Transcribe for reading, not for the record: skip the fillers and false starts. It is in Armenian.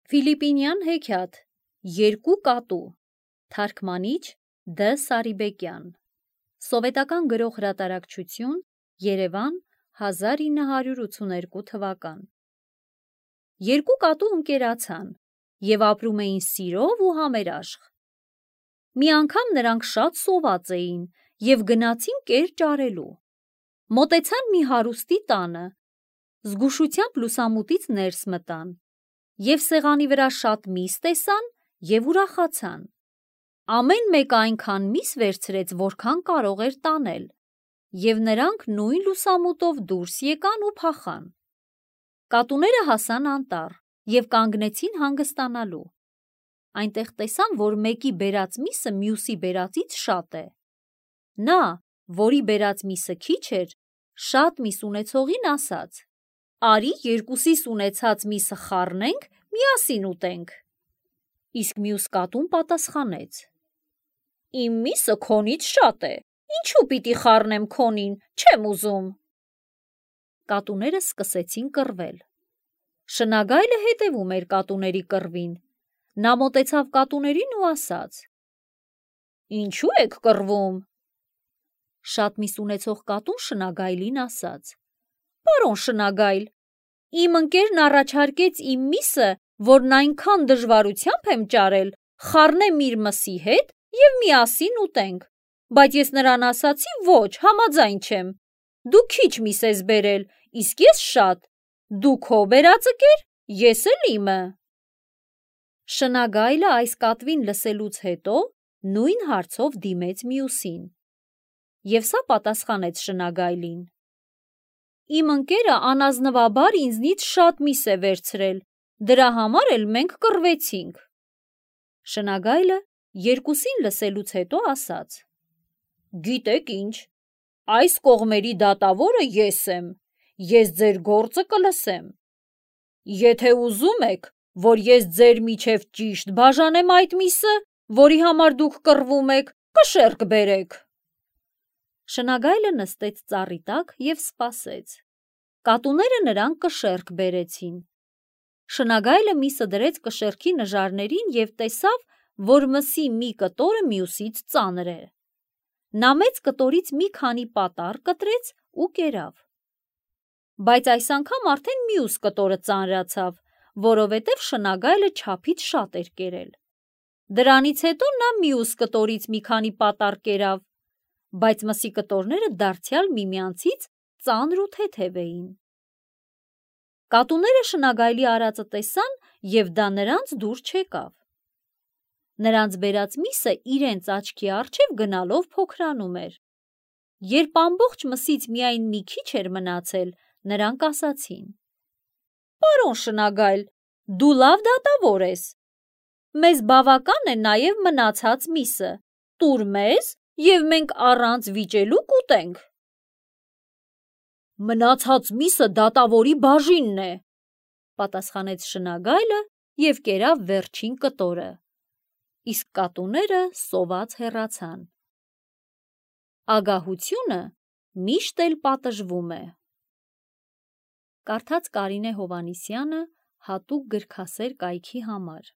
Ֆիլիպինյան հեքիաթ Երկու կատու Թարգմանիչ Դ. Սարիբեկյան Սովետական գրող հրատարակչություն Երևան 1982 թվական Երկու կատու ընկերացան և ապրում էին սիրով ու համերաշխ։ Մի անգամ նրանք շատ սոված էին և գնացին կեր ճարելու։ Մոտեցան մի հարուստի տանը, զգուշությամբ լուսամուտից ներս մտան և սեղանի վրա շատ միս տեսան և ուրախացան։ Ամեն մեկը այնքան միս վերցրեց, որքան կարող էր տանել, և նրանք նույն լուսամուտով դուրս եկան ու փախան։ Կատուները հասան անտառ և կանգնեցին հանգստանալու։ Այնտեղ տեսան, որ մեկի բերած միսը մյուսի բերածից շատ է։ Նա, որի բերած միսը քիչ էր, շատ միս ունեցողին ասաց. «Արի երկուսիս ունեցած միսը խառնենք, միասին ուտենք»։ Իսկ մյուս կատուն պատասխանեց. «Իմ միսը քոնից շատ է, ինչու պիտի խառնեմ քոնին, չեմ ուզում»։ Կատուները սկսեցին կռվել։ Շնագայլը հետևում էր կատուների կռվին։ Նա մոտեցավ կատուներին ու ասաց. «Ինչու եք կռվում»։ Շատ միս ունեցող կատուն շնագայլին ասաց. «Պարոն շնագայլ, իմ ընկերն առաջարկեց իմ միսը, որն այնքան դժվարությամբ եմ ճարել, խառնեմ իր մսի հետ և միասին ուտենք, բայց ես նրան ասացի, ոչ, համաձայն չեմ, դու քիչ միս ես բերել, իսկ ես շատ, դու քո բերածը կեր, ես էլ իմը»։ Շնագայլը այս կատվին լսելուց հետո նույն հարցով դիմեց մյուսին։ Եվ սա պատասխանեց շնագայլին. «Իմ ընկերը անազնվաբար ինձնից շատ միս է վերցրել, դրա համար էլ մենք կռվեցինք»։ Շնագայլը երկուսին լսելուց հետո ասաց. «Գիտեք ինչ, այս կողմերի դատավորը ես եմ, ես ձեր գործը կլսեմ։ Եթե ուզում եք, որ ես ձեր միջև ճիշտ բաժանեմ այդ միսը, որի համար դուք կռվում եք, կշեռք բերեք»։ Շնագայլը նստեց ծառի տակ և սպասեց։ Կատուները նրան կշեռք բերեցին։ Շնագայլը միսը դրեց կշեռքի նժարներին և տեսավ, որ մսի մի կտորը մյուսից ծանր է։ Նա մեծ կտորից մի քանի պատառ կտրեց ու կերավ։ Բայց այս անգամ արդեն մյուս կտորը ծանրացավ, որովհետև շնագայլը չափից շատ էր կերել։ Դրանից հետո նա մյուս կտորից մի քանի պատառ կերավ, բայց մսի կտորները դարձյալ միմյանցից ծանր ու թեթև էին։ Կատուները շնագայլի արածը տեսան, և դա նրանց դուր չեկավ։ Նրանց բերած միսը իրենց աչքի առջև գնալով փոքրանում էր։ Երբ ամբողջ մսից միայն մի քիչ էր մնացել, նրանք ասացին. «Պարոն շնագայլ, դու լավ դատավոր ես։ Մեզ բավական է նաև մնացած միսը, տուր մեզ, և մենք առանց վիճելու կուտենք»։ «Մնացած միսը դատավորի բաժինն է», պատասխանեց շնագայլը և կերավ վերջին կտորը։ Իսկ կատուները սոված հեռացան։ Ագահությունը միշտ էլ պատժվում է։ Կարդաց Կարինե Հովհաննիսյանը հատուկ գրքասեր կայքի համար։